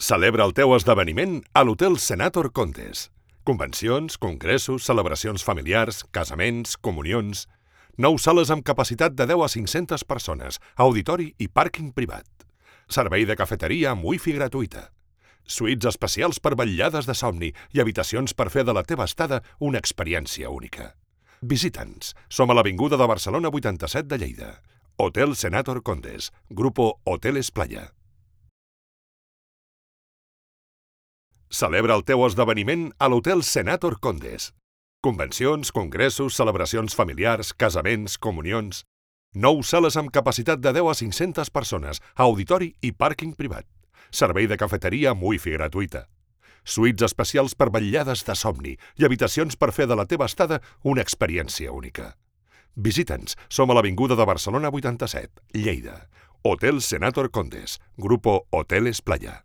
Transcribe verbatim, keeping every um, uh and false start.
Celebra el teu esdeveniment a l'Hotel Senator Condes. Convencions, congressos, celebracions familiars, casaments, comunions... Nou sales amb capacitat de deu a cinc-centes persones, auditori i pàrquing privat. Servei de cafeteria amb wifi gratuïta. Suites especials per vetllades de somni i habitacions per fer de la teva estada una experiència única. Visita'ns. Som a l'avinguda de Barcelona vuitanta-set de Lleida. Hotel Senator Condes. Grupo Hoteles Playa. Celebra el teu esdeveniment a l'Hotel Senator Condes. Convencions, congressos, celebracions familiars, casaments, comunions... Nou sales amb capacitat de deu a cinc-centes persones, auditori i pàrquing privat. Servei de cafeteria amb wifi gratuïta. Suites especials per vetllades de somni i habitacions per fer de la teva estada una experiència única. Visita'ns. Som a l'avinguda de Barcelona vuitanta-set, Lleida. Hotel Senator Condes. Grupo Hoteles Playa.